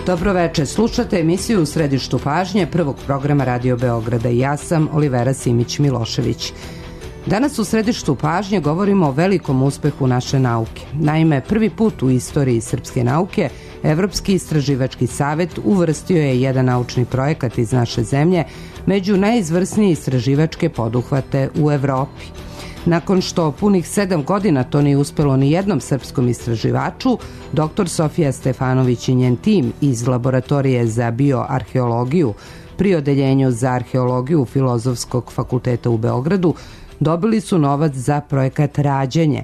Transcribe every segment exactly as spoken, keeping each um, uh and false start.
Dobroveče, slušate emisiju U središtu pažnje prvog programa Radio Beograda i ja sam Olivera Simić-Milošević. Danas u središtu pažnje govorimo o velikom uspehu naše nauke. Naime, prvi put u istoriji srpske nauke Evropski istraživački savet uvrstio je jedan naučni projekat iz naše zemlje među najizvrsnije istraživačke poduhvate u Evropi. Nakon što punih sedam godina to nije uspelo ni jednom srpskom istraživaču, doktor Sofija Stefanović i njen tim iz Laboratorije za bioarheologiju pri Odeljenju za arheologiju Filozofskog fakulteta u Beogradu dobili su novac za projekat Rađenje,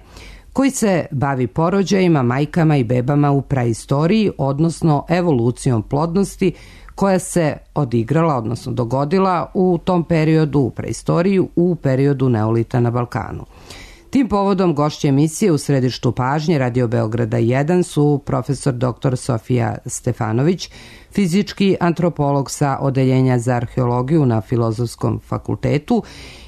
koji se bavi porođajima, majkama i bebama u praistoriji, odnosno evolucijom plodnosti koja se odigrala, odnosno dogodila u tom periodu, u praistoriji, u periodu neolita na Balkanu. Tim povodom gošće emisije U središtu pažnje Radio Beograda jedan su profesor doktor Sofija Stefanović, fizički antropolog sa Odeljenja za arheologiju na Filozofskom fakultetu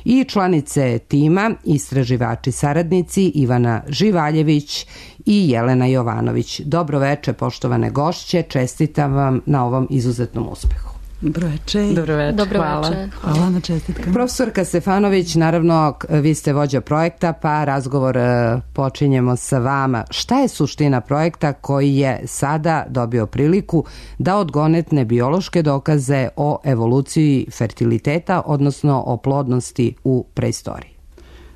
i članice tima, istraživači saradnici Ivana Živaljević i Jelena Jovanović. Dobroveče, poštovane gošće, čestitam vam na ovom izuzetnom uspehu. Dobroveče. Dobroveče. Dobroveče. Hvala. Hvala na čestitkama. Profesorka Stefanović, naravno, vi ste vođa projekta, pa razgovor počinjemo sa vama. Šta je suština projekta koji je sada dobio priliku da odgonetne biološke dokaze o evoluciji fertiliteta, odnosno o plodnosti u preistoriji?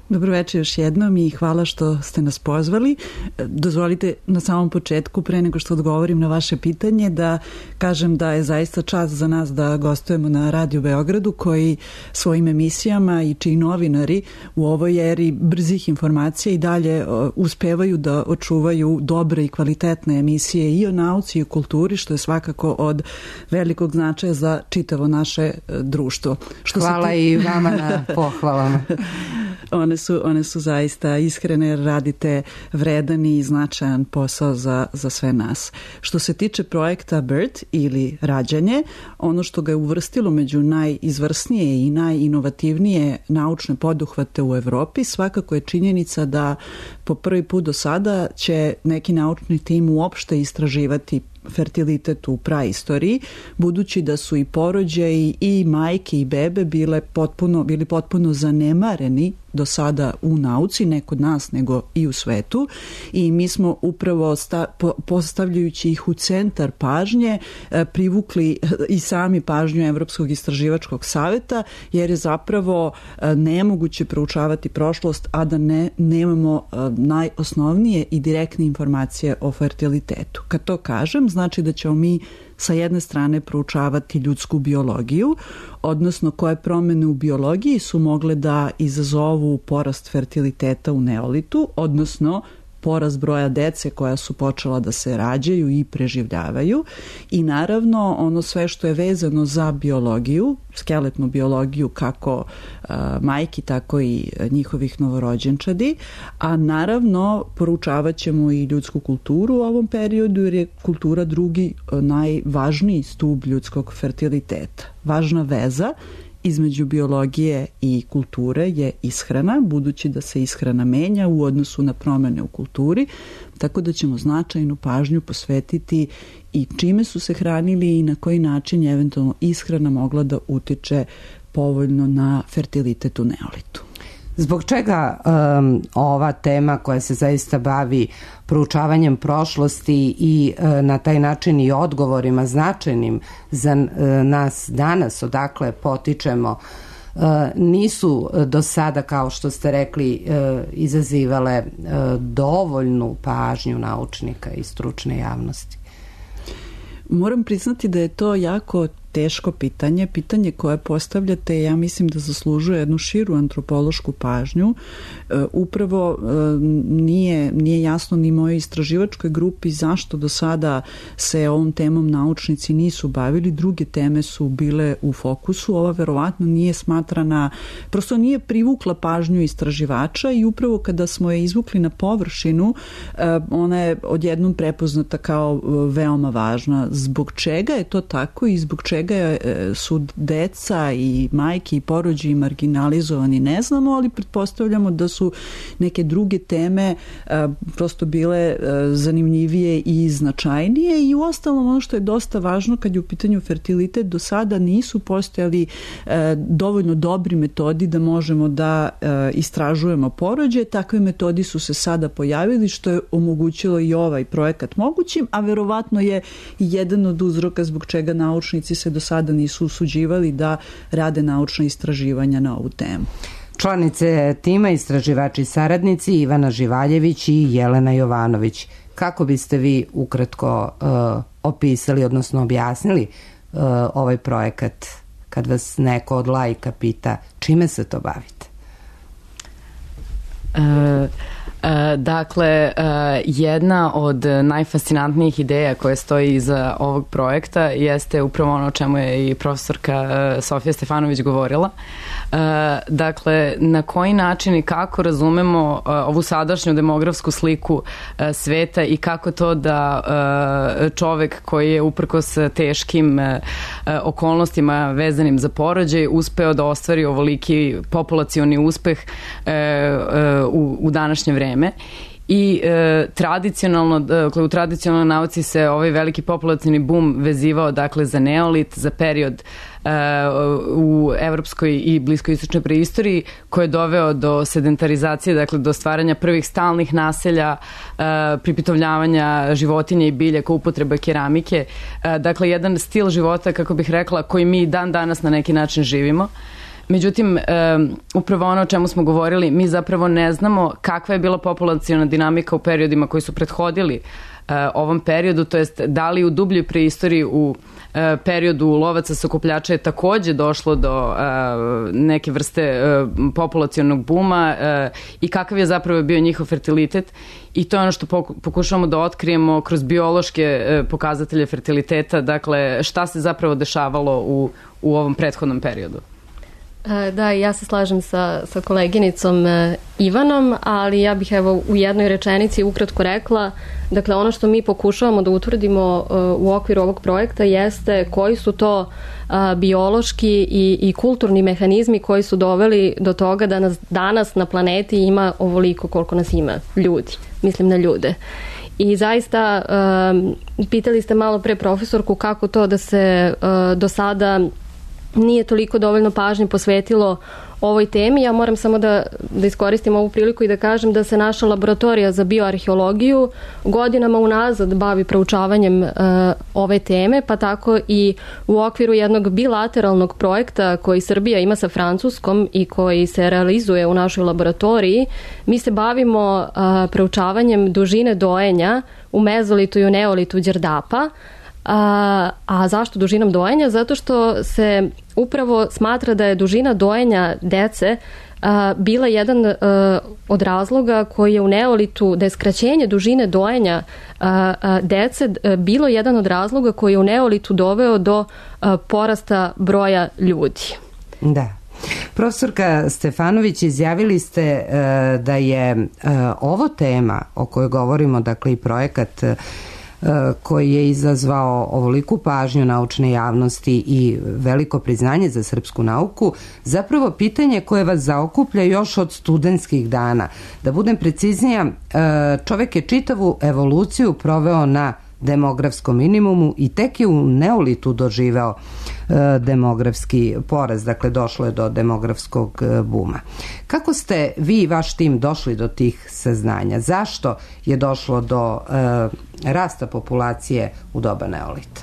Dobroveče još jednom i hvala što ste nas pozvali. Dozvolite na samom početku, pre nego što odgovorim na vaše pitanje, da kažem da je zaista čast za nas da gostujemo na Radio Beogradu, koji svojim emisijama i čiji novinari u ovoj eri brzih informacija i dalje uspevaju da očuvaju dobre i kvalitetne emisije i o nauci i o kulturi, što je svakako od velikog značaja za čitavo naše društvo. Što hvala ti... i vama na pohvalama. One su, one su zaista iskrene jer radite vredan i značajan posao za, za sve nas. Što se tiče projekta BIRT ili Rađanje, ono što ga je uvrstilo među najizvrsnije i najinovativnije naučne poduhvate u Evropi, svakako je činjenica da po prvi put do sada će neki naučni tim uopšte istraživati fertilitet u praistoriji, budući da su i porođaji i majke i bebe bile potpuno, bili potpuno zanemareni do sada u nauci, ne kod nas nego i u svetu, i mi smo upravo sta, po, postavljajući ih u centar pažnje e, privukli i sami pažnju Evropskog istraživačkog saveta, jer je zapravo e, nemoguće proučavati prošlost, a da ne, nemamo e, najosnovnije i direktne informacije o fertilitetu. Kad to kažem, znači da ćemo mi sa jedne strane proučavati ljudsku biologiju, odnosno koje promene u biologiji su mogle da izazovu porast fertiliteta u neolitu, odnosno porast broja dece koja su počela da se rađaju i preživljavaju, i naravno ono sve što je vezano za biologiju, skeletnu biologiju kako uh, majki, tako i njihovih novorođenčadi, a naravno poručavat ćemo i ljudsku kulturu u ovom periodu, jer je kultura drugi uh, najvažniji stub ljudskog fertiliteta. Važna veza između biologije i kulture je ishrana, budući da se ishrana menja u odnosu na promene u kulturi, tako da ćemo značajnu pažnju posvetiti i čime su se hranili i na koji način je eventualno ishrana mogla da utiče povoljno na fertilitet u neolitu. Zbog čega um, ova tema koja se zaista bavi proučavanjem prošlosti i uh, na taj način i odgovorima značajnim za uh, nas danas, odakle potičemo, uh, nisu do sada, kao što ste rekli, uh, izazivale uh, dovoljnu pažnju naučnika i stručne javnosti? Moram priznati da je to jako teško pitanje, pitanje koje postavljate, ja mislim da zaslužuje jednu širu antropološku pažnju. E, upravo e, nije, nije jasno ni mojoj istraživačkoj grupi zašto do sada se ovom temom naučnici nisu bavili, druge teme su bile u fokusu, ova verovatno nije smatrana, prosto nije privukla pažnju istraživača i upravo kada smo je izvukli na površinu, e, ona je odjednom prepoznata kao veoma važna. Zbog čega je to tako i zbog čega čega su deca i majke i porođaji marginalizovani ne znamo, ali pretpostavljamo da su neke druge teme prosto bile zanimljivije i značajnije i uostalom ono što je dosta važno kad je u pitanju fertilitet, do sada nisu postojali dovoljno dobri metodi da možemo da istražujemo porođaje. Takve metodi su se sada pojavili što je omogućilo i ovaj projekat mogućim, a verovatno je jedan od uzroka zbog čega naučnici se do sada nisu usuđivali da rade naučna istraživanja na ovu temu. Članice tima istraživači saradnici Ivana Živaljević i Jelena Jovanović. Kako biste vi ukratko uh, opisali, odnosno objasnili uh, ovaj projekat kad vas neko od laika pita čime se to bavite? Uh... Dakle, jedna od najfascinantnijih ideja koje stoji iza ovog projekta jeste upravo ono o čemu je i profesorka Sofija Stefanović govorila. Dakle, na koji način i kako razumemo ovu sadašnju demografsku sliku sveta i kako to da čovek koji je uprkos teškim okolnostima vezanim za porođaj uspeo da ostvari ovoliki populacioni uspeh u, u današnje vreme. I e, tradicionalno, dakle, u tradicionalnoj nauci se ovaj veliki populacioni bum vezivao dakle za neolit, za period e, u evropskoj i bliskoistočnoj preistoriji koji je doveo do sedentarizacije, dakle do stvaranja prvih stalnih naselja, e, pripitovljavanja životinja i biljaka, upotreba keramike, e, dakle jedan stil života, kako bih rekla, koji mi dan danas na neki način živimo. Međutim, um, upravo ono o čemu smo govorili, mi zapravo ne znamo kakva je bila populaciona dinamika u periodima koji su prethodili uh, ovom periodu, to jest da li u dubljoj preistoriji u uh, periodu lovaca sakupljača je takođe došlo do uh, neke vrste uh, populacionog buma uh, i kakav je zapravo bio njihov fertilitet. I to je ono što pokušavamo da otkrijemo kroz biološke uh, pokazatelje fertiliteta, dakle šta se zapravo dešavalo u, u ovom prethodnom periodu. Da, ja se slažem sa, sa koleginicom Ivanom, ali ja bih evo u jednoj rečenici ukratko rekla, dakle ono što mi pokušavamo da utvrdimo u okviru ovog projekta jeste koji su to biološki i, i kulturni mehanizmi koji su doveli do toga da nas danas na planeti ima ovoliko koliko nas ima ljudi, mislim na ljude. I zaista um, pitali ste malo pre profesorku kako to da se uh, do sada nije toliko dovoljno pažnje posvetilo ovoj temi. Ja moram samo da, da iskoristim ovu priliku i da kažem da se naša laboratorija za bioarheologiju godinama unazad bavi proučavanjem uh, ove teme, pa tako i u okviru jednog bilateralnog projekta koji Srbija ima sa Francuskom i koji se realizuje u našoj laboratoriji, mi se bavimo uh, proučavanjem dužine dojenja u mezolitu i u neolitu Đerdapa. A, a zašto dužinom dojenja? Zato što se upravo smatra da je dužina dojenja dece a, bila jedan a, od razloga koji je u neolitu, da je skraćenje dužine dojenja a, a, dece a, bilo jedan od razloga koji je u neolitu doveo do a, porasta broja ljudi. Da. Profesorka Stefanović, izjavili ste e, da je e, ovo tema o kojoj govorimo, dakle i projekat koji je izazvao ovoliku pažnju naučne javnosti i veliko priznanje za srpsku nauku, zapravo pitanje koje vas zaokuplja još od studentskih dana. Da budem preciznija, čovek je čitavu evoluciju proveo na demografskom minimumu i tek je u neolitu doživeo e, demografski poraz, dakle došlo je do demografskog e, buma. Kako ste vi i vaš tim došli do tih saznanja? Zašto je došlo do e, rasta populacije u doba neolita?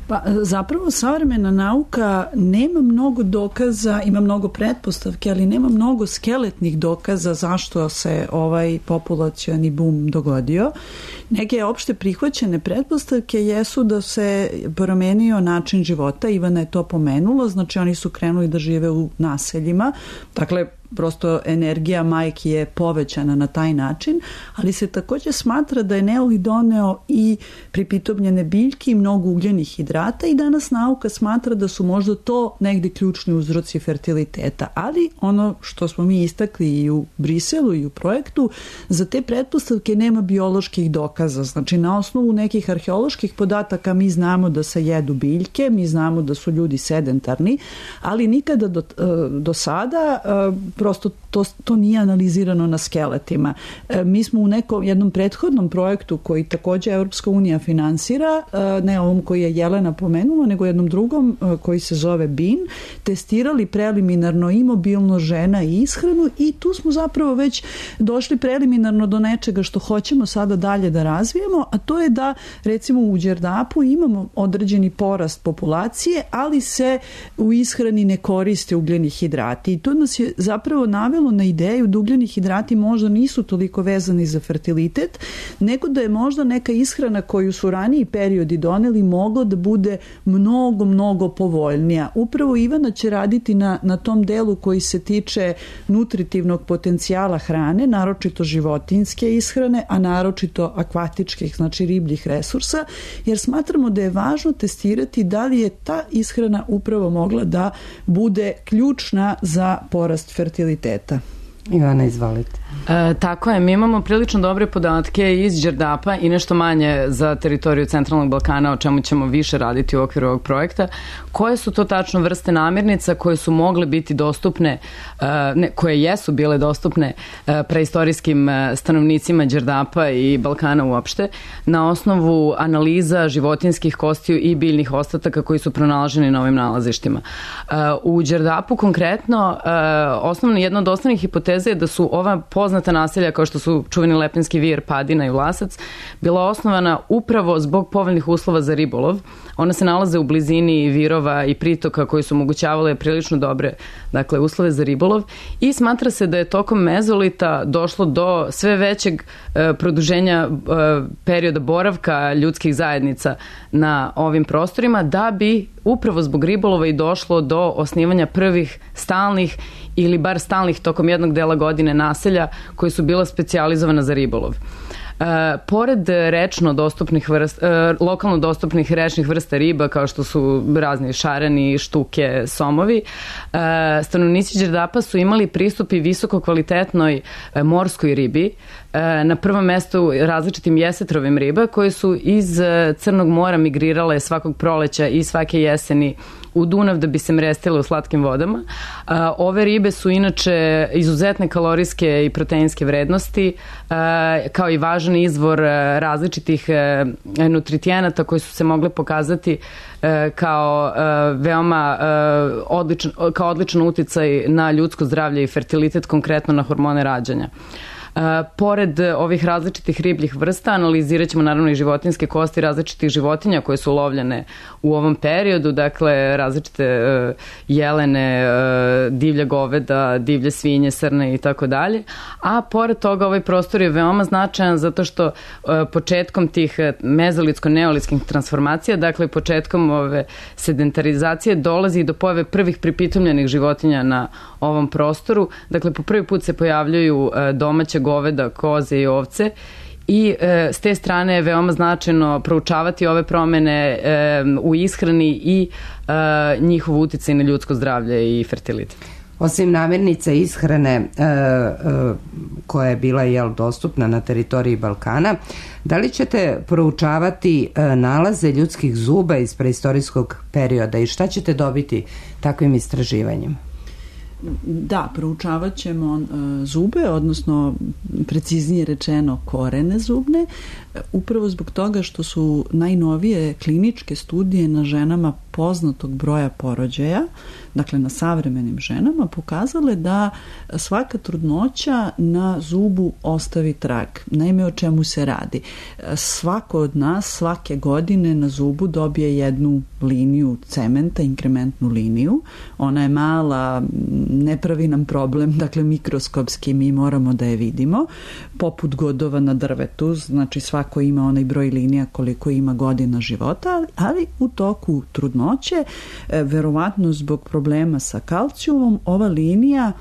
Pa zapravo savremena nauka nema mnogo dokaza, ima mnogo pretpostavke, ali nema mnogo skeletnih dokaza zašto se ovaj populacioni bum dogodio. Neke opšte prihvaćene pretpostavke jesu da se promenio način života, Ivana je to pomenula, znači oni su krenuli da žive u naseljima, dakle prosto energija majki je povećana na taj način, ali se takođe smatra da je neolit doneo i pripitobljene biljke i mnogo ugljenih hidrata i danas nauka smatra da su možda to negde ključni uzroci fertiliteta. Ali ono što smo mi istakli i u Briselu i u projektu, za te pretpostavke nema bioloških dokaza. Znači na osnovu nekih arheoloških podataka mi znamo da se jedu biljke, mi znamo da su ljudi sedentarni, ali nikada do, do sada prosto to, to nije analizirano na skeletima. Mi smo u nekom jednom prethodnom projektu koji takođe Europska unija finansira, ne ovom koji je Jelena pomenula, nego jednom drugom koji se zove B I N, testirali preliminarno i mobilnost žena i ishranu i tu smo zapravo već došli preliminarno do nečega što hoćemo sada dalje da razvijemo, a to je da recimo u Đerdapu imamo određeni porast populacije, ali se u ishrani ne koriste ugljeni hidrati i to nas je zapravo navelo na ideju da ugljeni hidrati možda nisu toliko vezani za fertilitet, nego da je možda neka ishrana koju su raniji periodi doneli mogla da bude mnogo, mnogo povoljnija. Upravo Ivana će raditi na, na tom delu koji se tiče nutritivnog potencijala hrane, naročito životinjske ishrane, a naročito akvatičkih, znači ribljih resursa, jer smatramo da je važno testirati da li je ta ishrana upravo mogla da bude ključna za porast fertiliteta. Ivana, izvolite. E, tako je, mi imamo prilično dobre podatke iz Đerdapa i nešto manje za teritoriju Centralnog Balkana, o čemu ćemo više raditi u okviru ovog projekta. Koje su to tačno vrste namirnica koje su mogle biti dostupne, e, ne, koje jesu bile dostupne e, preistorijskim stanovnicima Đerdapa i Balkana uopšte, na osnovu analiza životinjskih kostiju i biljnih ostataka koji su pronalaženi na ovim nalazištima. E, u Đerdapu konkretno, e, osnovno, jedna od osnovnih hipoteza je da su ova poznata naselja kao što su čuveni Lepenski vir, Padina i Vlasac bila osnovana upravo zbog povoljnih uslova za ribolov. Ona se nalaze u blizini virova i pritoka koji su omogućavale prilično dobre, dakle, uslove za ribolov i smatra se da je tokom mezolita došlo do sve većeg e, produženja e, perioda boravka ljudskih zajednica na ovim prostorima da bi upravo zbog ribolova i došlo do osnivanja prvih stalnih ili bar stalnih tokom jednog dela godine naselja koji su bila specijalizovana za ribolov. E, pored rečno dostupnih vrsta, e, lokalno dostupnih rečnih vrsta riba kao što su razni šareni, štuke, somovi, e, stanovnici Đerdapa su imali pristup i visoko kvalitetnoj e, morskoj ribi, e, na prvom mestu različitim jesetrovim riba koje su iz Crnog mora migrirale svakog proleća i svake jeseni u Dunav da bi se mrestile u slatkim vodama. Ove ribe su inače izuzetne kalorijske i proteinske vrednosti, kao i važan izvor različitih nutritijenata koji su se mogli pokazati kao veoma odličan, kao odličan uticaj na ljudsko zdravlje i fertilitet, konkretno na hormone rađanja. Uh, pored ovih različitih ribljih vrsta analizirat ćemo naravno i životinjske kosti različitih životinja koje su lovljene u ovom periodu, dakle različite uh, jelene, uh, divlja goveda, divlje svinje, srne i tako dalje. A pored toga ovaj prostor je veoma značajan zato što uh, početkom tih mezolitsko-neolitskih transformacija, dakle početkom ove sedentarizacije dolazi do pojave prvih pripitomljenih životinja na ovom prostoru. Dakle, po prvi put se pojavljuju uh, domaće goveda, koze i ovce i e, s te strane je veoma značajno proučavati ove promene e, u ishrani i e, njihov uticaj na ljudsko zdravlje i fertilitet. Osim namirnica ishrane e, e, koja je bila jel, dostupna na teritoriji Balkana, da li ćete proučavati e, nalaze ljudskih zuba iz preistorijskog perioda i šta ćete dobiti takvim istraživanjem? Da, proučavat ćemo uh, zube, odnosno preciznije rečeno korene zubne, upravo zbog toga što su najnovije kliničke studije na ženama poznatog broja porođaja, dakle na savremenim ženama, pokazale da svaka trudnoća na zubu ostavi trag. Naime, o čemu se radi? Svako od nas svake godine na zubu dobije jednu liniju cementa, inkrementnu liniju. Ona je mala, ne pravi nam problem, dakle mikroskopski mi moramo da je vidimo, poput godova na drvetu, znači svako ima onaj broj linija koliko ima godina života, ali u toku trudnoće, verovatno zbog problema sa kalcijumom, ova linija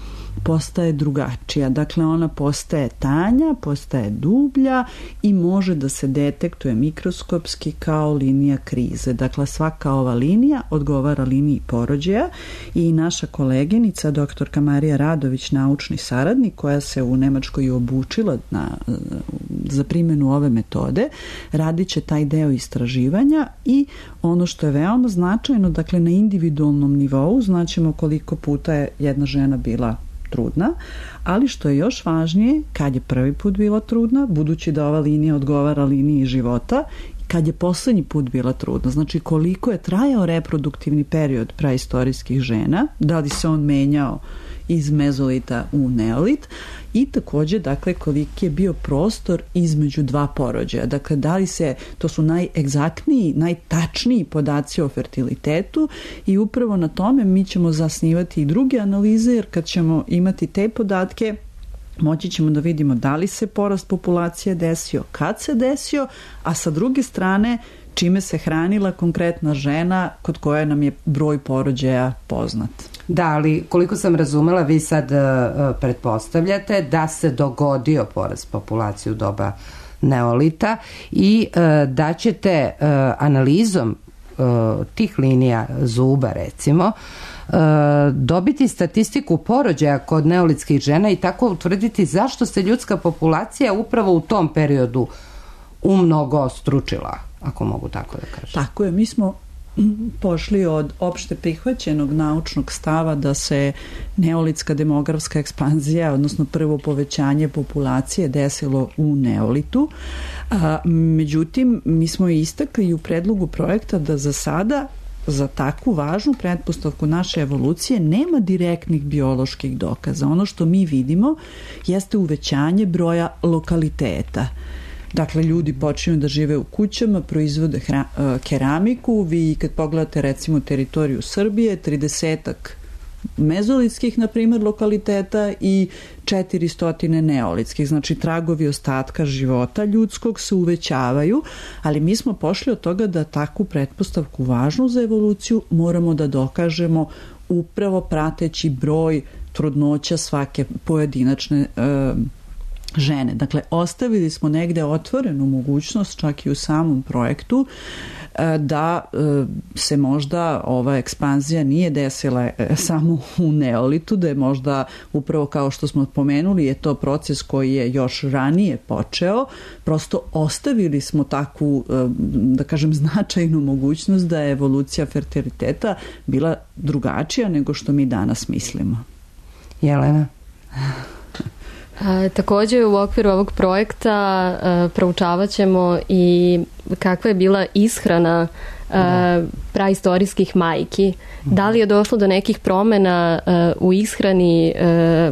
postaje drugačija. Dakle, ona postaje tanja, postaje dublja i može da se detektuje mikroskopski kao linija krize. Dakle, svaka ova linija odgovara liniji porođaja i naša koleginica, doktorka Marija Radović, naučni saradnik, koja se u Nemačkoj obučila na, za primjenu ove metode, radit će taj deo istraživanja i ono što je veoma značajno, dakle, na individualnom nivou znaćemo koliko puta je jedna žena bila trudna, ali što je još važnije, kad je prvi put bila trudna, budući da ova linija odgovara liniji života, kad je poslednji put bila trudna, znači koliko je trajao reproduktivni period praistorijskih žena, da li se on menjao iz mezolita u neolit i takođe, dakle, koliki je bio prostor između dva porođaja. Dakle, da li se, to su najegzaktniji, najtačniji podaci o fertilitetu i upravo na tome mi ćemo zasnivati i druge analize, jer kad ćemo imati te podatke, moći ćemo da vidimo da li se porast populacije desio, kad se desio, a sa druge strane čime se hranila konkretna žena kod koje nam je broj porođaja poznat. Da, ali koliko sam razumela, vi sad uh, pretpostavljate da se dogodio porast populacije u doba neolita i uh, da ćete uh, analizom uh, tih linija zuba, recimo, uh, dobiti statistiku porođaja kod neolitskih žena i tako utvrditi zašto se ljudska populacija upravo u tom periodu umnogo stručila, ako mogu tako da kažem. Tako je, mi smo pošli od opšte prihvaćenog naučnog stava da se neolitska demografska ekspanzija, odnosno prvo povećanje populacije desilo u neolitu. A, međutim, mi smo istakli u predlogu projekta da za sada za takvu važnu pretpostavku naše evolucije nema direktnih bioloških dokaza. Ono što mi vidimo jeste uvećanje broja lokaliteta. Dakle, ljudi počinju da žive u kućama, proizvode hra, keramiku. Vi kad pogledate recimo teritoriju Srbije, tridesetak mezolitskih, na primjer, lokaliteta i četiristo neolitskih. Znači, tragovi ostatka života ljudskog se uvećavaju, ali mi smo pošli od toga da takvu pretpostavku važnu za evoluciju moramo da dokažemo upravo prateći broj trudnoća svake pojedinačne e, žene. Dakle, ostavili smo negde otvorenu mogućnost, čak i u samom projektu, da se možda ova ekspanzija nije desila samo u neolitu, da je možda upravo kao što smo pomenuli je to proces koji je još ranije počeo, prosto ostavili smo takvu, da kažem, značajnu mogućnost da je evolucija fertiliteta bila drugačija nego što mi danas mislimo. Jelena? A, takođe u okviru ovog projekta a, proučavat ćemo i kakva je bila ishrana a, praistorijskih majki. Da li je došlo do nekih promena a, u ishrani a,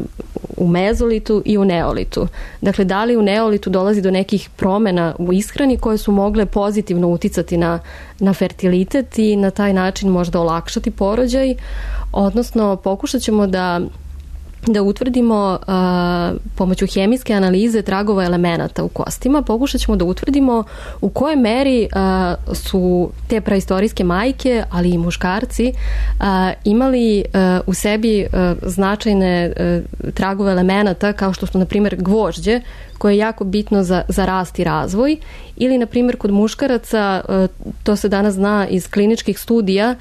u mezolitu i u neolitu? Dakle, da li u neolitu dolazi do nekih promena u ishrani koje su mogle pozitivno uticati na, na fertilitet i na taj način možda olakšati porođaj? Odnosno, pokušat ćemo da da utvrdimo a, pomoću hemijske analize tragova elemenata u kostima, pokušat ćemo da utvrdimo u kojoj meri a, su te praistorijske majke, ali i muškarci, a, imali a, u sebi a, značajne a, tragove elemenata kao što su, na primjer, gvožđe, koje je jako bitno za, za rast i razvoj, ili, na primjer, kod muškaraca, to se danas zna iz kliničkih studija,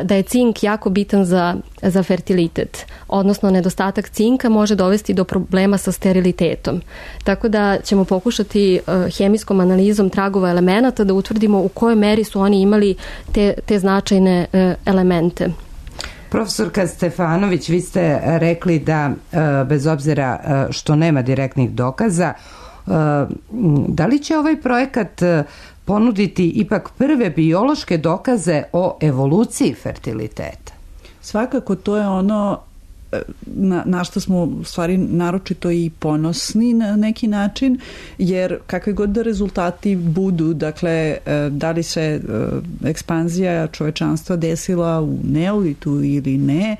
da je cink jako bitan za, za fertilitet, odnosno nedostatak cinka može dovesti do problema sa sterilitetom. Tako da ćemo pokušati hemijskom analizom tragova elemenata da utvrdimo u kojoj meri su oni imali te, te značajne elemente. Profesorka Stefanović, vi ste rekli da bez obzira što nema direktnih dokaza, da li će ovaj projekat ponuditi ipak prve biološke dokaze o evoluciji fertiliteta? Svakako, to je ono na, na što smo u stvari naročito i ponosni na neki način, jer kakve god da rezultati budu, dakle, da li se ekspanzija čovečanstva desila u neolitu ili ne,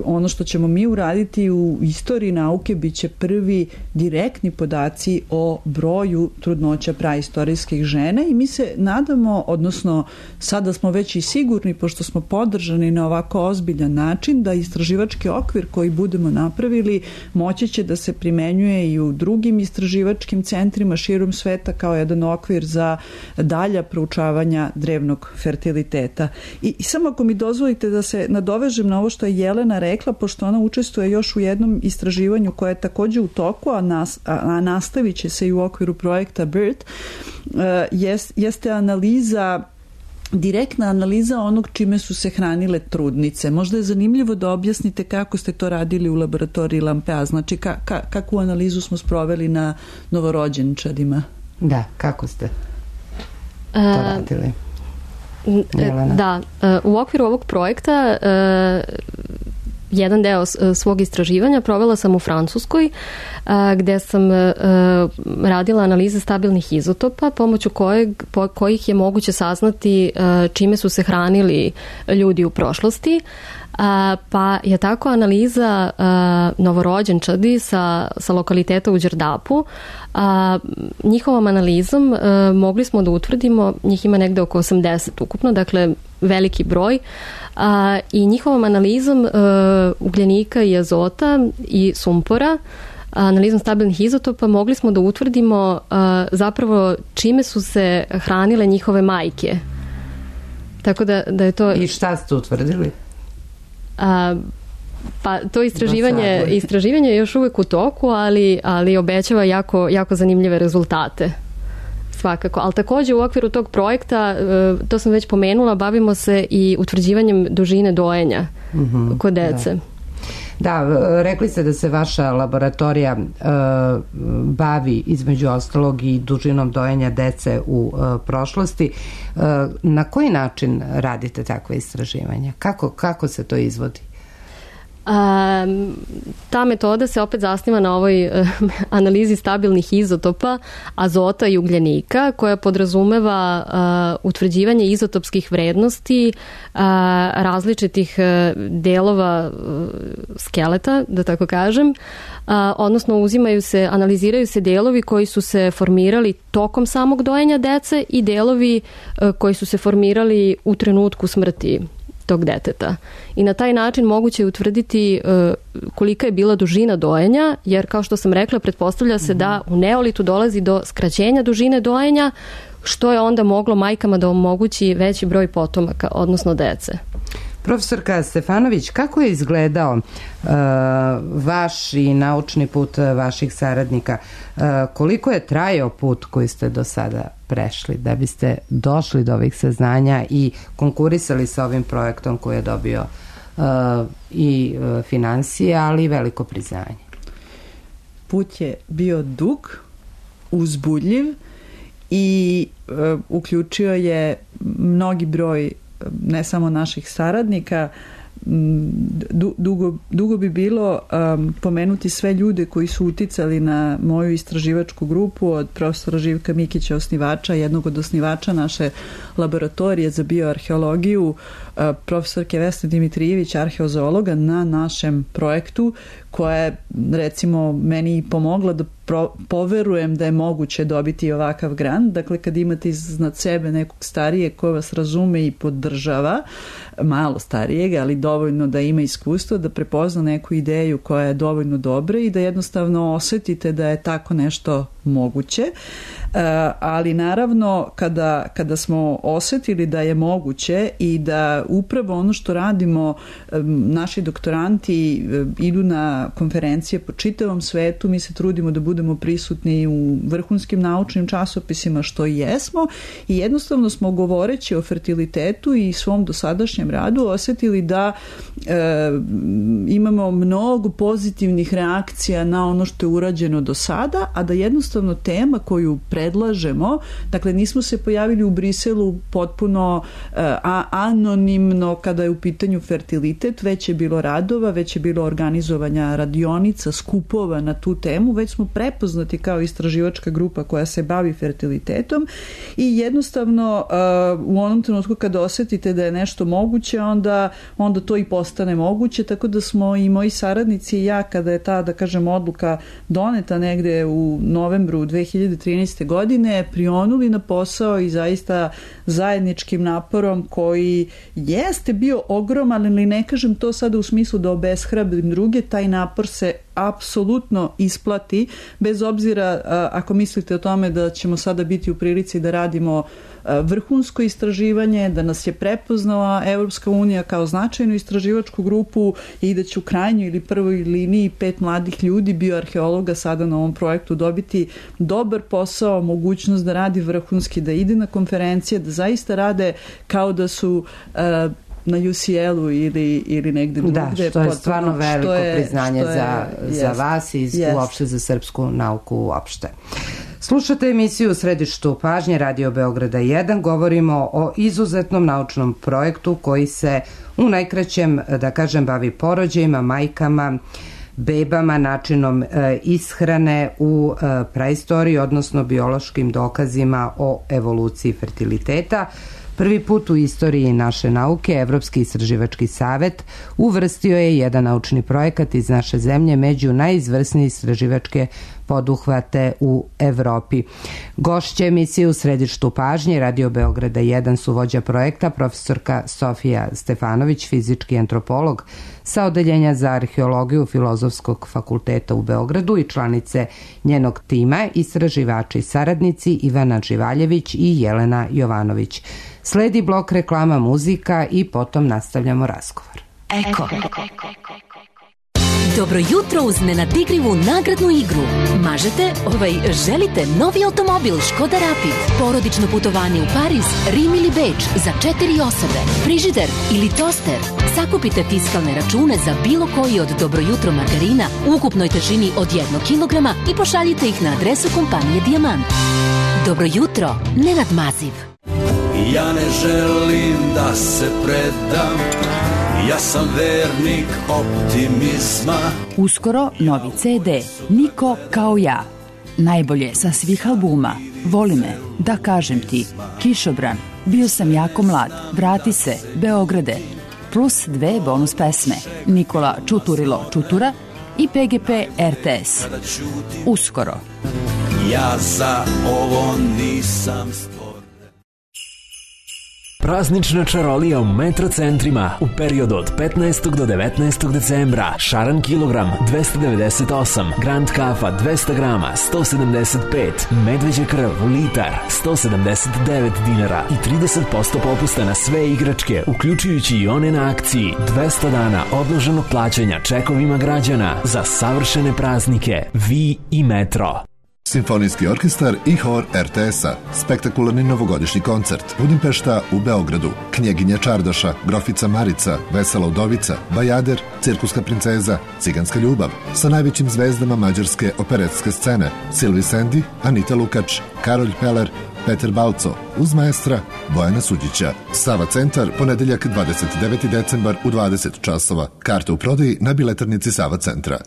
ono što ćemo mi uraditi u istoriji nauke bit će prvi direktni podaci o broju trudnoća praistorijskih žena i mi se nadamo, odnosno sada smo već i sigurni, pošto smo podržani na ovako ozbiljan način, da istraživački okvir okvir koji budemo napravili moći će da se primenjuje i u drugim istraživačkim centrima širom sveta kao jedan okvir za dalja proučavanja drevnog fertiliteta. I, i samo ako mi dozvolite da se nadovežem na ovo što je Jelena rekla, pošto ona učestvuje još u jednom istraživanju koje je takođe u toku, a, nas, a, a nastavit će se i u okviru projekta BIRT, jest, jeste analiza direktna analiza onog čime su se hranile trudnice. Možda je zanimljivo da objasnite kako ste to radili u laboratoriji Lampea, znači ka, ka, kakvu analizu smo sproveli na novorođenčadima. Da, kako ste to radili? Jelena. Da, u okviru ovog projekta jedan deo svog istraživanja provela sam u Francuskoj, gde sam radila analize stabilnih izotopa pomoću kojeg, po, kojih je moguće saznati čime su se hranili ljudi u prošlosti. Pa je tako analiza novorođenčadi sa, sa lokaliteta u Đerdapu. Njihovom analizom mogli smo da utvrdimo, njih ima negde oko osamdeset ukupno, dakle veliki broj, a, i njihovom analizom a, ugljenika i azota i sumpora, analizom stabilnih izotopa, mogli smo da utvrdimo a, zapravo čime su se hranile njihove majke. Tako da, da je to... I šta ste utvrdili? A, pa to istraživanje, istraživanje je još uvek u toku, ali, ali obećava jako, jako zanimljive rezultate. Svakako, ali takođe u okviru tog projekta, to sam već pomenula, bavimo se i utvrđivanjem dužine dojenja mm-hmm, kod dece. Da. Da, rekli ste da se vaša laboratorija uh, bavi između ostalog i dužinom dojenja dece u uh, prošlosti. Uh, na koji način radite takve istraživanja? Kako, kako se to izvodi? A, ta metoda se opet zasniva na ovoj uh, analizi stabilnih izotopa azota i ugljenika, koja podrazumeva uh, utvrđivanje izotopskih vrednosti uh, različitih uh, delova uh, skeleta, da tako kažem, uh, odnosno uzimaju se, analiziraju se delovi koji su se formirali tokom samog dojenja dece i delovi uh, koji su se formirali u trenutku smrti tog deteta. I na taj način moguće je utvrditi uh, kolika je bila dužina dojenja, jer kao što sam rekla, pretpostavlja se mm-hmm. da u neolitu dolazi do skraćenja dužine dojenja, što je onda moglo majkama da omogući veći broj potomaka, odnosno dece. Profesorka Stefanović, kako je izgledao uh, vaš i naučni put vaših saradnika? Uh, koliko je trajao put koji ste do sada prešli da biste došli do ovih saznanja i konkurisali sa ovim projektom koji je dobio uh, i uh, finansije, ali i veliko priznanje? Put je bio dug, uzbudljiv i uh, uključio je mnogi broj ne samo naših saradnika. Dugo, dugo bi bilo um, pomenuti sve ljude koji su uticali na moju istraživačku grupu, od profesora Živka Mikića, osnivača, jednog od osnivača naše laboratorije za bioarheologiju, uh, profesorke Vesne Dimitrijević, arheozoologa na našem projektu, koja je recimo meni pomogla da pro, poverujem da je moguće dobiti ovakav grant. Dakle, kad imate iznad sebe nekog starijeg ko vas razume i podržava, malo starijeg, ali dovoljno da ima iskustvo, da prepozna neku ideju koja je dovoljno dobra i da jednostavno osetite da je tako nešto moguće. Uh, ali naravno kada, kada smo osetili da je moguće i da upravo ono što radimo, um, naši doktoranti um, idu na konferencije po čitavom svetu, mi se trudimo da budemo prisutni u vrhunskim naučnim časopisima, što i jesmo, i jednostavno smo govoreći o fertilitetu i svom dosadašnjem radu osetili da e, imamo mnogo pozitivnih reakcija na ono što je urađeno do sada, a da jednostavno tema koju predlažemo, dakle nismo se pojavili u Briselu potpuno e, a, anonimno kada je u pitanju fertilitet, već je bilo radova, već je bilo organizovanja radionica, skupova na tu temu, već smo prepoznati kao istraživačka grupa koja se bavi fertilitetom i jednostavno uh, u onom trenutku kada osetite da je nešto moguće, onda, onda to i postane moguće, tako da smo i moji saradnici i ja, kada je ta, da kažem, odluka doneta negde u novembru novembru dve hiljade trinaeste. godine prionuli na posao i zaista zajedničkim naporom koji jeste bio ogroman, ali ne kažem to sada u smislu da obeshrabrim druge, taj napor se apsolutno isplati, bez obzira ako mislite o tome da ćemo sada biti u prilici da radimo vrhunsko istraživanje, da nas je prepoznala Evropska unija kao značajnu istraživačku grupu i da će u krajnjoj ili prvoj liniji pet mladih ljudi, bioarheologa, sada na ovom projektu dobiti dobar posao, mogućnost da radi vrhunski, da ide na konferencije, da zaista rade kao da su uh, na U C L-u ili, ili negde drugde. Da, što je stvarno veliko je, priznanje je, za, jest, za vas i jest. uopšte za srpsku nauku uopšte. Slušate emisiju u središtu pažnje Radio Beograda jedan. Govorimo o izuzetnom naučnom projektu koji se u najkraćem, da kažem, bavi porođajima, majkama, bebama, načinom e, ishrane u e, praistoriji, odnosno biološkim dokazima o evoluciji fertiliteta. Prvi put u istoriji naše nauke Evropski istraživački savet uvrstio je jedan naučni projekat iz naše zemlje među najizvrsnije istraživačke poduhvate u Evropi. Gošće emisije u središtu pažnje Radio Beograda jedan su vođa projekta profesorka Sofija Stefanović, fizički antropolog sa odeljenja za arheologiju Filozofskog fakulteta u Beogradu i članice njenog tima, istraživači i saradnici Ivana Živaljević i Jelena Jovanović. Sledi blok reklama, muzika i potom nastavljamo razgovor. Eko. Dobro jutro uz nenadigrivu nagradnu igru. Mažete, ovaj, želite novi automobil Škoda Rapid, porodično putovanje u Pariz, Rim ili Beč za četiri osobe, frižider ili toster. Sakupite fiskalne račune za bilo koji od Dobro jutro margarina u ukupnoj težini od jednog kilograma i pošaljite ih na adresu kompanije Dijamant. Dobro jutro, Nenad Maziv. Ja ne želim da se predam, ja sam vernik optimizma. Uskoro novi C D, Niko kao ja. Najbolje sa svih albuma, Voli me, Da kažem ti, Kišobran, Bio sam jako mlad, Vrati se, Beograde, plus dve bonus pesme, Nikola Čuturilo Čutura i P G P R T S. Uskoro. Ja za ovo nisam stvoren. Praznična čarolija u Metro centrima u periodu od petnaestog do devetnaestog decembra. Šaran kilogram dvesta devedeset osam, Grand kafa dvesta grama sto sedamdeset pet, medveđa krv litar sto sedamdeset devet dinara i trideset posto popusta na sve igračke, uključujući i one na akciji. dvesta dana odloženog plaćanja čekovima građana za savršene praznike. Vi i Metro. Simfonijski orkestar i hor R T S-a. Spektakularni novogodišnji koncert. Budimpešta u Beogradu. Knjeginja Čardaša, Grofica Marica, Vesela udovica, Bajader, Cirkuska princeza, Ciganska ljubav. Sa najvećim zvezdama mađarske operetske scene. Silvi Sendi, Anita Lukač, Karolj Peler, Peter Balco, uz maestra Bojana Suđića. Sava centar, ponedeljak dvadeset deveti decembar u dvadeset časova. Karte u prodaji na biletarnici Sava centra.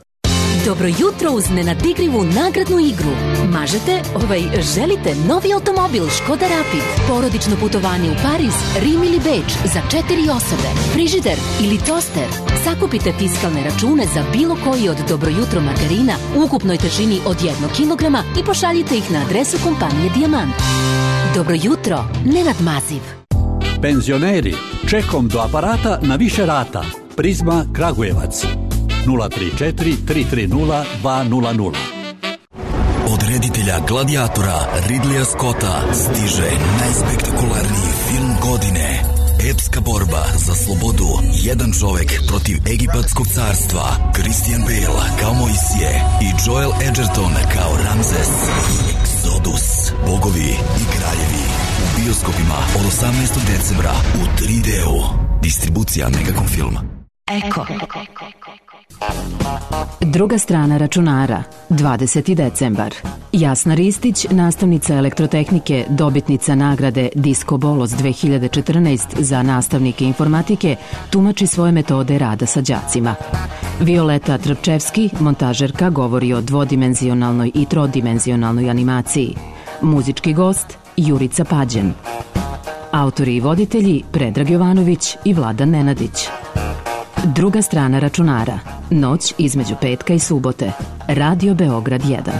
Dobro jutro uz nenadigrivu nagradnu igru. Mažete, ovaj, želite novi automobil Škoda Rapid, porodično putovanje u Pariz, Rim ili Beč za četiri osobe, frižider ili toster. Sakupite fiskalne račune za bilo koji od Dobro jutro margarina u ukupnoj težini od jednog kilograma i pošaljite ih na adresu kompanije Dijamant. Dobro jutro, Nenad Maziv. Penzioneri, čekom do aparata na više rata. Prizma Kragujevac. nula tri četiri tri tri nula dva nula nula. Od reditelja Gladiatora Ridleya Scotta stiže najspektakularniji film godine. Epska borba za slobodu. Jedan čovek protiv egipatskog carstva. Christian Bale kao Mojsije i Joel Edgerton kao Ramzes. Exodus. Bogovi i kraljevi. U bioskopima od osamnaestog decembra u tri D-u. Distribucija Megacom Film. Eko. Druga strana računara, dvadeseti decembar. Jasna Ristić, nastavnica elektrotehnike, dobitnica nagrade Disco Bolos dve hiljade četrnaest za nastavnike informatike, tumači svoje metode rada sa đacima. Violeta Trpčevski, montažerka, govori o dvodimenzionalnoj i trodimenzionalnoj animaciji. Muzički gost Jurica Pađen. Autori i voditelji Predrag Jovanović i Vladan Nenadić. Druga strana računara. Noć između petka i subote. Radio Beograd jedan.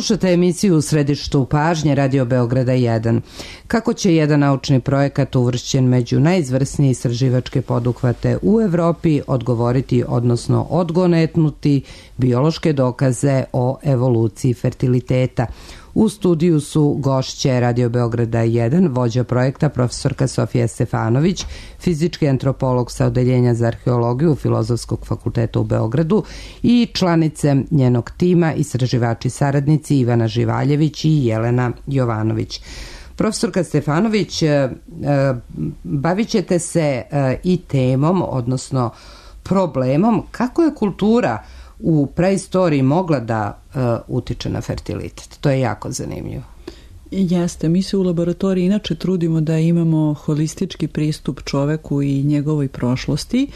Slušate emisiju U središtu pažnje Radio Beograda jedan. Kako će jedan naučni projekat uvršćen među najizvrsnije istraživačke poduhvate u Evropi odgovoriti, odnosno odgonetnuti biološke dokaze o evoluciji fertiliteta? U studiju su gošće Radio Beograda jedan, vođa projekta profesorka Sofija Stefanović, fizički antropolog sa Odeljenja za arheologiju Filozofskog fakulteta u Beogradu i članice njenog tima, istraživači saradnici Ivana Živaljević i Jelena Jovanović. Profesorka Stefanović, bavit ćete se i temom, odnosno problemom kako je kultura u preistoriji mogla da uh, utiče na fertilitet. To je jako zanimljivo. Jeste, mi se u laboratoriji inače trudimo da imamo holistički pristup čoveku i njegovoj prošlosti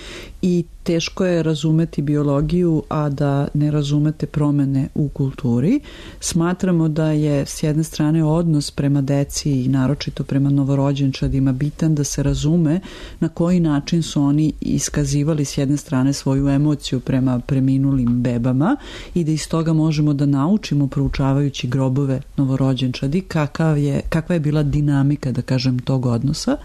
i teško je razumeti biologiju, a da ne razumete promene u kulturi. Smatramo da je s jedne strane odnos prema deci i naročito prema novorođenčadima bitan da se razume na koji način su oni iskazivali s jedne strane svoju emociju prema preminulim bebama i da iz toga možemo da naučimo proučavajući grobove novorođenčadi kakav je, kakva je bila dinamika, da kažem, tog odnosa.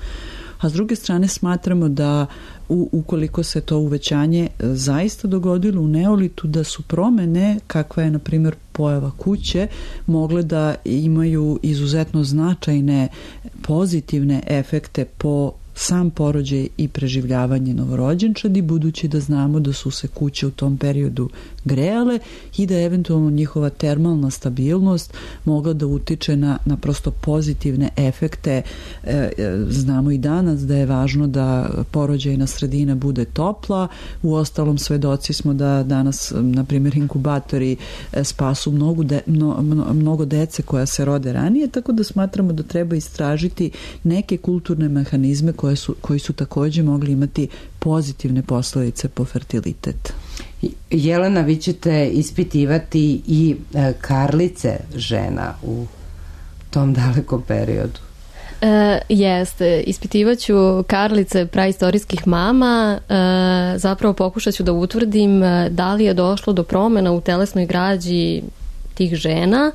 A s druge strane smatramo da u, ukoliko se to uvećanje zaista dogodilo u neolitu, da su promene, kakva je na primjer pojava kuće, mogle da imaju izuzetno značajne pozitivne efekte po sam porođaj i preživljavanje novorođenčadi, budući da znamo da su se kuće u tom periodu grejale i da eventualno njihova termalna stabilnost mogla da utiče na, na prosto pozitivne efekte. E, znamo i danas da je važno da porođajna sredina bude topla, u ostalom svedoci smo da danas, na primjer, inkubatori spasu mnogo, de, mno, mnogo dece koja se rode ranije, tako da smatramo da treba istražiti neke kulturne mehanizme koje su, koji su takođe mogli imati pozitivne posledice po fertilitet. Jelena, vi ćete ispitivati i e, karlice žena u tom dalekom periodu. E, jeste, ispitivaću karlice praistorijskih mama, e, zapravo pokušat ću da utvrdim da li je došlo do promena u telesnoj građi tih žena,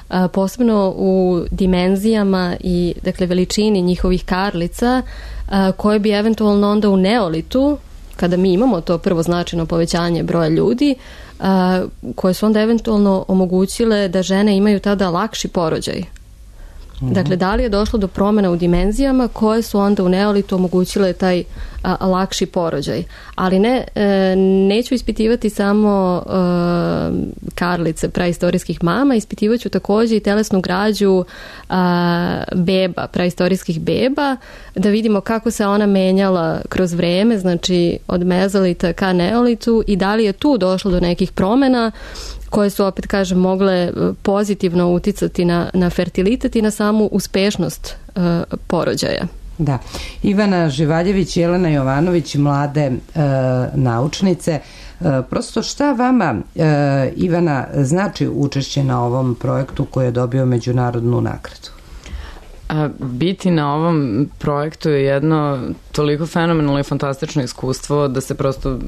a, posebno u dimenzijama i, dakle, veličini njihovih karlica, a, koje bi eventualno onda u neolitu, kada mi imamo to prvo značajno povećanje broja ljudi, a, koje su onda eventualno omogućile da žene imaju tada lakši porođaj. Dakle, da li je došlo do promena u dimenzijama koje su onda u neolitu omogućile taj a, lakši porođaj. Ali ne, e, neću ispitivati samo e, karlice praistorijskih mama, ispitivaću takođe i telesnu građu a, beba, praistorijskih beba, da vidimo kako se ona menjala kroz vreme, znači od mezolita ka neolitu, i da li je tu došlo do nekih promena koje su, opet kažem, mogle pozitivno uticati na, na fertilitet i na samu uspešnost uh, porođaja. Da. Ivana Živaljević i Jelena Jovanović, mlade uh, naučnice. Uh, prosto šta vama, uh, Ivana, znači učešće na ovom projektu koji je dobio međunarodnu nagradu? A, biti na ovom projektu je jedno toliko fenomenalno i fantastično iskustvo da se prosto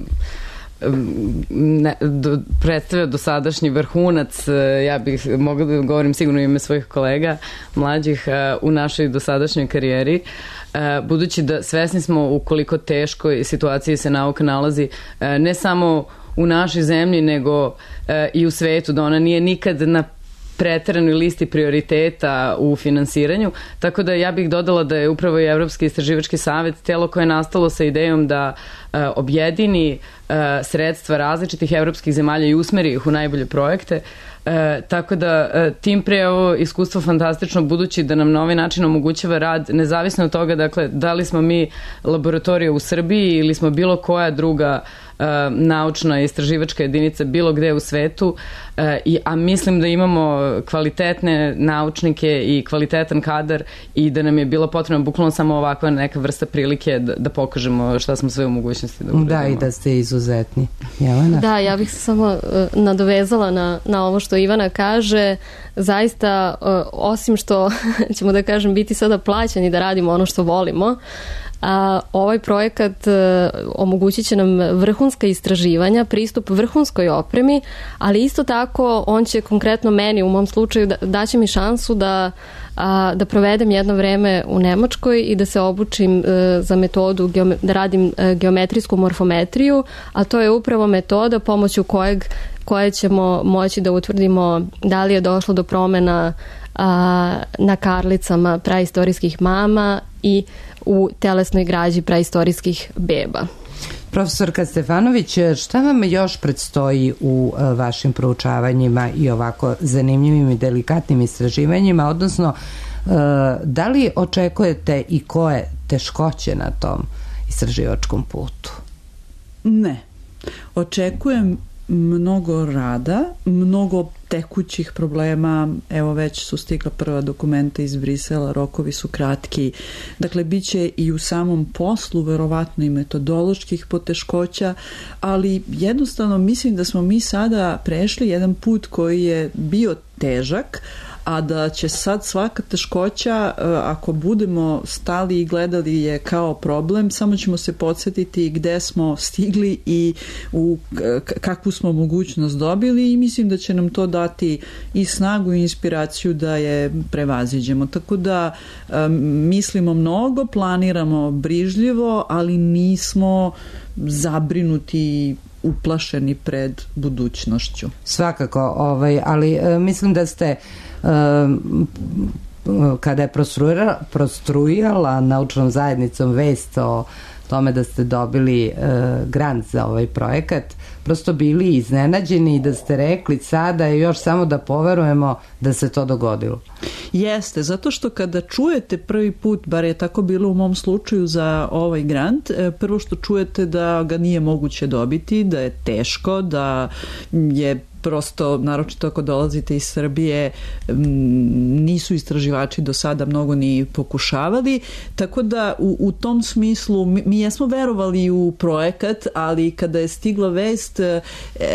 ne, do, predstavlja dosadašnji vrhunac, ja bih mogla da govorim sigurno ime svojih kolega mlađih u našoj dosadašnjoj karijeri, budući da svesni smo u koliko teškoj situaciji se nauka nalazi, ne samo u našoj zemlji nego i u svetu, da ona nije nikad na preteranoj listi prioriteta u finansiranju, tako da ja bih dodala da je upravo i Evropski istraživački savet telo koje je nastalo sa idejom da uh, objedini uh, sredstva različitih evropskih zemalja i usmeri ih u najbolje projekte. E, tako da e, tim pre ovo iskustvo fantastično, budući da nam na ovaj način omogućava rad nezavisno od toga, dakle, da li smo mi laboratorija u Srbiji ili smo bilo koja druga e, naučna istraživačka jedinica bilo gde u svetu, e, i, a mislim da imamo kvalitetne naučnike i kvalitetan kadar i da nam je bilo potrebno bukvalno samo ovakva neka vrsta prilike da, da pokažemo šta smo sve u mogućnosti da uradimo. Da, i da ste izuzetni. Jelena? Da, ja bih se samo uh, nadovezala na, na ovo što Ivana kaže. Zaista, uh, osim što ćemo da kažem biti sada plaćeni da radimo ono što volimo, a ovaj projekat uh, omogućit će nam vrhunska istraživanja, pristup vrhunskoj opremi, ali isto tako on će konkretno meni, u mom slučaju, da, daće mi šansu da, a, da provedem jedno vreme u Nemačkoj i da se obučim uh, za metodu, geome, da radim uh, geometrijsku morfometriju, a to je upravo metoda pomoću kojeg koje ćemo moći da utvrdimo da li je došlo do promena a, na karlicama praistorijskih mama i u telesnoj građi praistorijskih beba. Profesorka Stefanović, šta vam još predstoji u a, vašim proučavanjima i ovako zanimljivim i delikatnim istraživanjima, odnosno a, da li očekujete i koje teškoće na tom istraživačkom putu? Ne. Očekujem mnogo rada, mnogo tekućih problema, evo već su stigla prva dokumenta iz Brisela, rokovi su kratki, dakle bit će i u samom poslu verovatno i metodoloških poteškoća, ali jednostavno mislim da smo mi sada prešli jedan put koji je bio težak, a da će sad svaka teškoća, ako budemo stali i gledali je kao problem, samo ćemo se podsjetiti gde smo stigli i u kakvu smo mogućnost dobili, i mislim da će nam to dati i snagu i inspiraciju da je prevaziđemo. Tako da mislimo mnogo, planiramo brižljivo, ali nismo zabrinuti, uplašeni pred budućnošću. Svakako, ovaj, ali mislim da ste kada je prostruirala, prostrujala naučnom zajednicom vest o tome da ste dobili e, grant za ovaj projekat, prosto bili iznenađeni i da ste rekli sada je još samo da poverujemo da se to dogodilo. Jeste, zato što kada čujete prvi put, bar je tako bilo u mom slučaju za ovaj grant, prvo što čujete da ga nije moguće dobiti, da je teško, da je prosto, naročito ako dolazite iz Srbije, nisu istraživači do sada mnogo ni pokušavali, tako da u, u tom smislu mi, mi jesmo verovali u projekat, ali kada je stigla vest,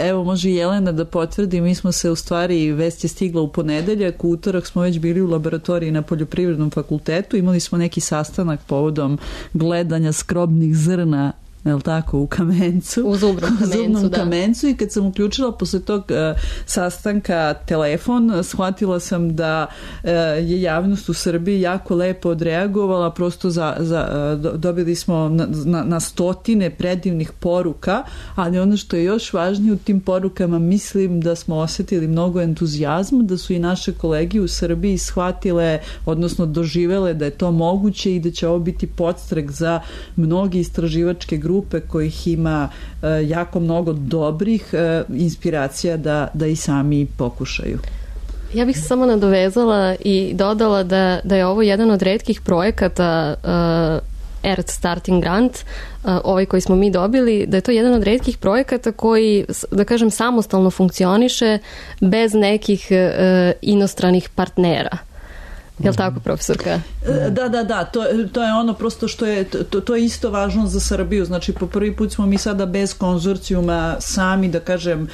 evo može Jelena da potvrdi, mi smo se u stvari, vest je stigla u ponedeljak, u utorak smo već bili u laboratoriji na Poljoprivrednom fakultetu, imali smo neki sastanak povodom gledanja skrobnih zrna, je li tako, u kamencu. U zubnom kamencu, zubnom da. kamencu i kad sam uključila posle tog uh, sastanka telefon, shvatila sam da uh, je javnost u Srbiji jako lepo odreagovala, prosto za, za, uh, dobili smo na, na, na stotine predivnih poruka, ali ono što je još važnije u tim porukama, mislim da smo osetili mnogo entuzijazma, da su i naše kolege u Srbiji shvatile, odnosno doživele da je to moguće i da će ovo biti podstrek za mnogi istraživačke grupe grupe kojih ima e, jako mnogo dobrih e, inspiracija da, da i sami pokušaju. Ja bih se samo nadovezala i dodala da, da je ovo jedan od retkih projekata uh, Earth Starting Grant, uh, ovaj koji smo mi dobili, da je to jedan od retkih projekata koji, da kažem, samostalno funkcioniše bez nekih uh, inostranih partnera. Je li tako, profesorka? Da, da, da, to, to je ono prosto što je, to, to je isto važno za Srbiju, znači po prvi put smo mi sada bez konzorcijuma sami, da kažem,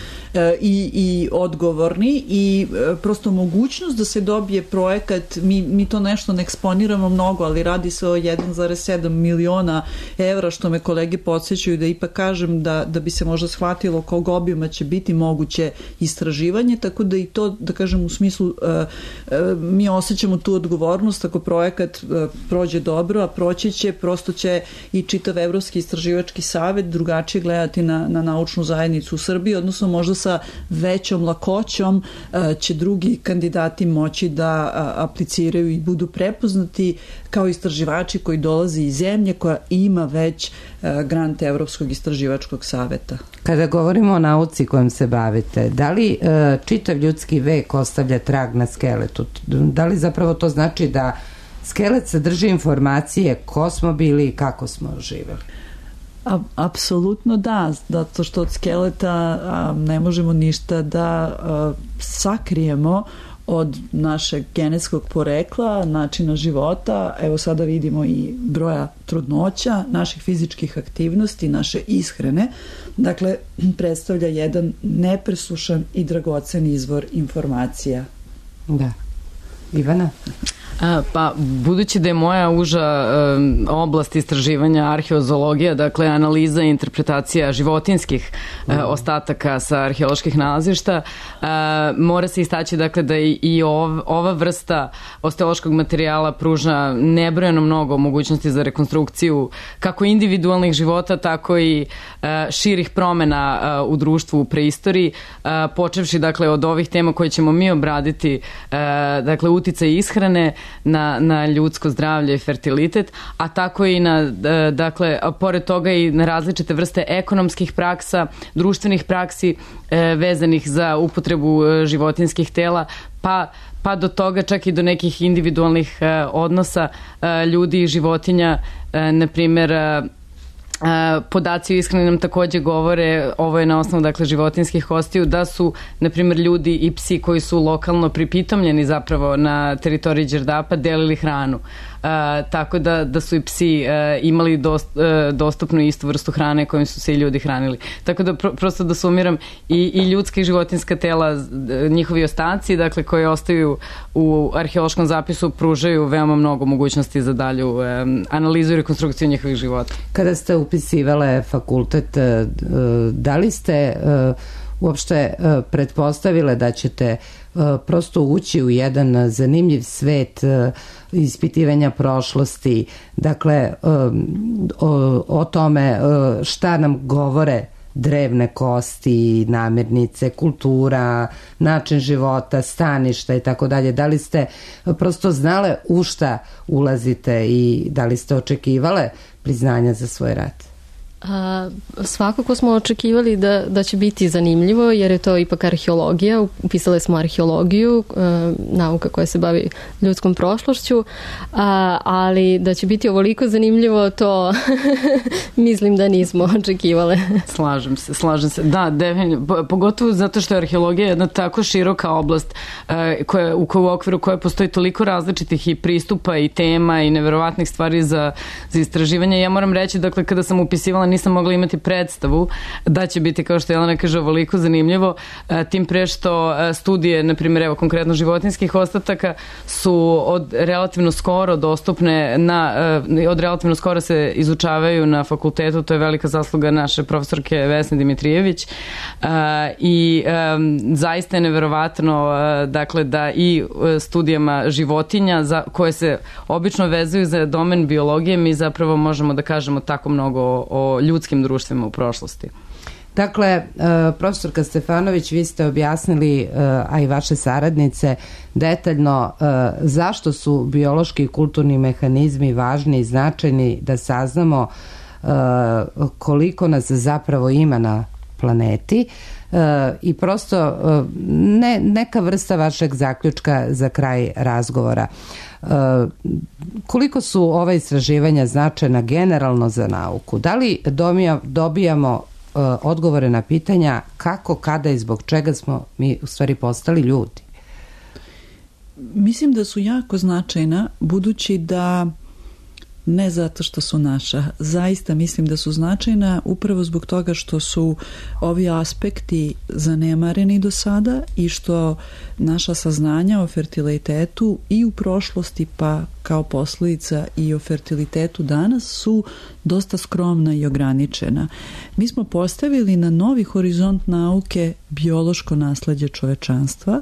i, i odgovorni i prosto mogućnost da se dobije projekat, mi, mi to nešto ne eksponiramo mnogo, ali radi se o jedan zarez sedam miliona evra, što me kolege podsjećaju da ipak kažem da, da bi se možda shvatilo kog obima će biti moguće istraživanje, tako da i to, da kažem, u smislu uh, uh, mi osjećamo tu odgovornost ako projekat uh, prođe dobro, a proći će, prosto će i čitav Evropski istraživački savet drugačije gledati na, na naučnu zajednicu u Srbiji, odnosno možda sa većom lakoćom uh, će drugi kandidati moći da uh, apliciraju i budu prepoznati kao istraživači koji dolaze iz zemlje koja ima već uh, grant Evropskog istraživačkog saveta. Kada govorimo o nauci kojom se bavite, da li uh, čitav ljudski vek ostavlja trag na skeletu? Da li zapravo to znači da skelet sadrži informacije ko smo bili i kako smo živeli? A, apsolutno da, zato što od skeleta a, ne možemo ništa da a, sakrijemo od našeg genetskog porekla, načina života. Evo sada vidimo i broja trudnoća, naših fizičkih aktivnosti, naše ishrane. Dakle, predstavlja jedan nepresušan i dragocen izvor informacija. Da. Ivana? A, pa, budući da je moja uža um, oblast istraživanja arheozoologija, dakle analiza i interpretacija životinskih uh, ostataka sa arheoloških nalazišta, uh, mora se istaći dakle da i, i ov, ova vrsta osteološkog materijala pruža nebrojeno mnogo mogućnosti za rekonstrukciju kako individualnih života, tako i uh, širih promena uh, u društvu u preistoriji, uh, počevši dakle od ovih tema koje ćemo mi obraditi, uh, dakle uticaj ishrane na, na ljudsko zdravlje i fertilitet, a tako i na, dakle, pored toga i na različite vrste ekonomskih praksa, društvenih praksi e, vezanih za upotrebu životinskih tela, pa pa do toga čak i do nekih individualnih e, odnosa e, ljudi i životinja, e, na primjer e, podaci o ishrani nam takođe govore, ovo je na osnovu dakle životinskih kostiju, da su na primjer ljudi i psi koji su lokalno pripitomljeni zapravo na teritoriji Đerdapa delili hranu. Uh, tako da, da su i psi uh, imali dost, uh, dostupnu istu vrstu hrane kojim su se i ljudi hranili. Tako da pro, prosto da sumiram i, i ljudska i životinska tela, njihovi ostaci, dakle koji ostaju u arheološkom zapisu, pružaju veoma mnogo mogućnosti za dalju um, analizu i rekonstrukciju njihovih života. Kada ste upisivale fakultet, uh, da li ste uh, uopšte uh, pretpostavile da ćete uh, prosto ući u jedan zanimljiv svet uh, ispitivanja prošlosti, dakle um, o, o tome uh, šta nam govore drevne kosti, namirnice, kultura, način života, staništa i tako dalje. Da li ste prosto znale u šta ulazite i da li ste očekivale priznanja za svoj rad? A, svakako smo očekivali da, da će biti zanimljivo, jer je to ipak arheologija. Upisali smo arheologiju, a, nauka koja se bavi ljudskom prošlošću, a, ali da će biti ovoliko zanimljivo, to mislim da nismo očekivale. Slažem se, slažem se. Da, definitivno. Pogotovo zato što je arheologija jedna tako široka oblast koja, u, u okviru koje postoji toliko različitih i pristupa i tema i neverovatnih stvari za, za istraživanje. Ja moram reći, dakle, kada sam upisivala nisam mogla imati predstavu da će biti, kao što Jelena kaže, ovoliko zanimljivo, tim pre što studije, na primjer, evo konkretno životinjskih ostataka, su od relativno skoro dostupne na, od relativno skoro se izučavaju na fakultetu, to je velika zasluga naše profesorke Vesne Dimitrijević i zaista je neverovatno, dakle, da i studijama životinja za, koje se obično vezuju za domen biologije, mi zapravo možemo da kažemo tako mnogo o, o ljudskim društvima u prošlosti. Dakle, profesorka Stefanović, vi ste objasnili, a i vaše saradnice, detaljno zašto su biološki i kulturni mehanizmi važni i značajni da saznamo koliko nas zapravo ima na planeti i prosto ne, neka vrsta vašeg zaključka za kraj razgovora. Koliko su ova istraživanja značajna generalno za nauku? Da li dobijamo odgovore na pitanja kako, kada i zbog čega smo mi u stvari postali ljudi? Mislim da su jako značajna, budući da ne zato što su naša. Zaista mislim da su značajna upravo zbog toga što su ovi aspekti zanemareni do sada i što naša saznanja o fertilitetu i u prošlosti, pa kao posljedica i o fertilitetu danas, su dosta skromna i ograničena. Mi smo postavili na novi horizont nauke biološko nasleđe čovečanstva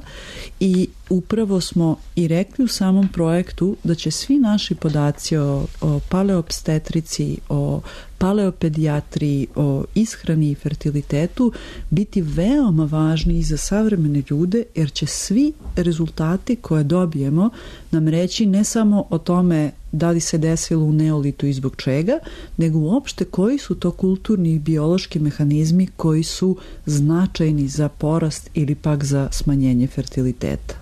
i upravo smo i rekli u samom projektu da će svi naši podaci o, o paleoopstetrici, o paleopedijatriji, o ishrani i fertilitetu biti veoma važni i za savremene ljude, jer će svi rezultati koje dobijemo nam reći ne samo o tome da li se desilo u neolitu i zbog čega, nego uopšte koji su to kulturni i biološki mehanizmi koji su značajni za porast ili pak za smanjenje fertiliteta.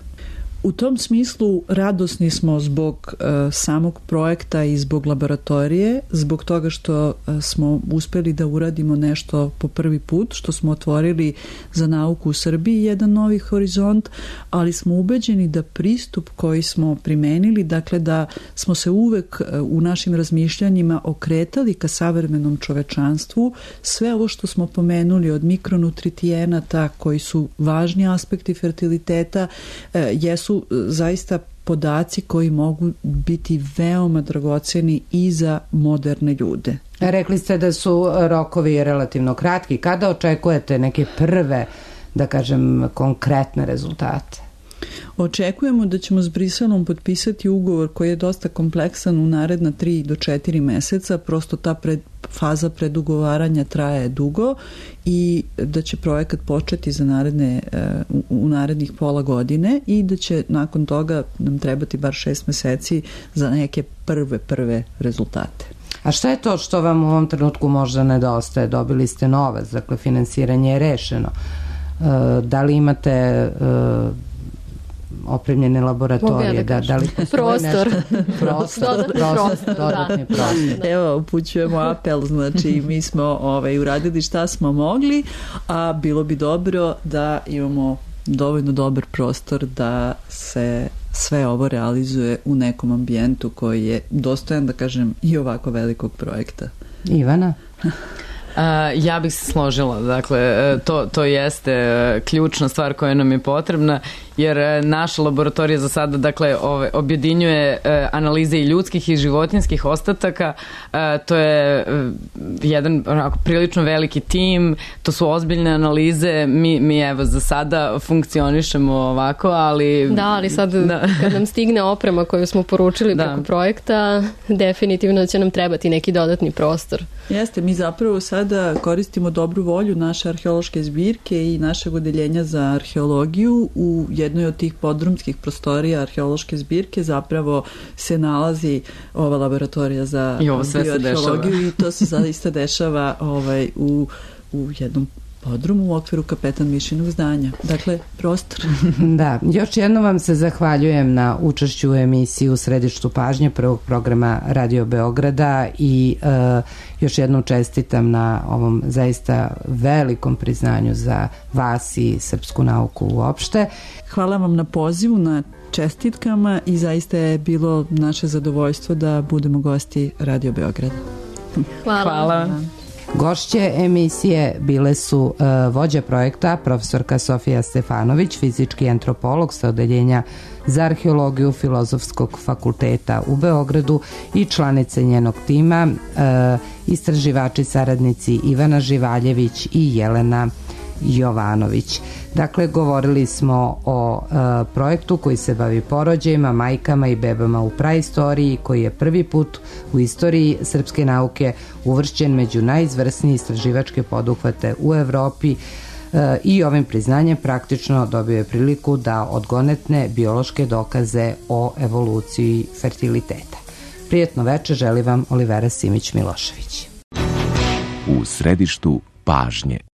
U tom smislu radosni smo zbog uh, samog projekta i zbog laboratorije, zbog toga što uh, smo uspeli da uradimo nešto po prvi put, što smo otvorili za nauku u Srbiji jedan novi horizont, ali smo ubeđeni da pristup koji smo primenili, dakle da smo se uvek uh, u našim razmišljanjima okretali ka savremenom čovečanstvu, sve ovo što smo pomenuli od mikronutritijenata koji su važni aspekti fertiliteta, uh, jesu su zaista podaci koji mogu biti veoma dragoceni i za moderne ljude. Rekli ste da su rokovi relativno kratki. Kada očekujete neke prve, da kažem, konkretne rezultate? Očekujemo da ćemo s Briselom potpisati ugovor koji je dosta kompleksan u naredna tri do četiri meseca, prosto ta pred, faza predugovaranja traje dugo i da će projekat početi za naredne, u, u narednih pola godine i da će nakon toga nam trebati bar šest meseci za neke prve, prve rezultate. A šta je to što vam u ovom trenutku možda nedostaje? Dobili ste novac, dakle finansiranje je rešeno. Da li imate opremljene laboratorije, da, da li prostor. prostor, prostor, dodatni prostor. Evo, upućujemo apel, znači mi smo ovaj, uradili šta smo mogli, a bilo bi dobro da imamo dovoljno dobar prostor da se sve ovo realizuje u nekom ambijentu koji je dostojan, da kažem, i ovako velikog projekta. Ivana? Uh, ja bih se složila, dakle to, to jeste ključna stvar koja nam je potrebna, jer naša laboratorija za sada, dakle, ove, objedinjuje uh, analize i ljudskih i životinjskih ostataka, uh, to je uh, jedan onako, prilično veliki tim, to su ozbiljne analize, mi, mi evo za sada funkcionišemo ovako, ali... Da, ali sad da. Kad nam stigne oprema koju smo poručili da. preko projekta, definitivno će nam trebati neki dodatni prostor. Jeste, mi zapravo sad sada koristimo dobru volju naše arheološke zbirke i našeg odeljenja za arheologiju. U jednoj od tih podrumskih prostorija arheološke zbirke zapravo se nalazi ova laboratorija za bioarheologiju i to se zaista dešava ovaj, u, u jednom podrumu u okviru Kapetan Mišinog zdanja. Dakle, prostor. Da, još jednom vam se zahvaljujem na učešću u emisiji U središtu pažnje prvog programa Radio Beograda i uh, još jednom čestitam na ovom zaista velikom priznanju za vas i srpsku nauku uopšte. Hvala vam na pozivu, na čestitkama i zaista je bilo naše zadovoljstvo da budemo gosti Radio Beograda. Hvala. Hvala. Gošće emisije bile su uh, vođa projekta profesorka Sofija Stefanović, fizički antropolog sa odeljenja za arheologiju Filozofskog fakulteta u Beogradu i članice njenog tima, uh, istraživači saradnici Ivana Živaljević i Jelena Jovanović. Dakle, govorili smo o e, projektu koji se bavi porođajima, majkama i bebama u praistoriji, koji je prvi put u istoriji srpske nauke uvršćen među najizvrsnije istraživačke poduhvate u Evropi e, i ovim priznanjem praktično dobio je priliku da odgonetne biološke dokaze o evoluciji fertiliteta. Prijetno veče želi vam Olivera Simić Milošević. U središtu pažnje.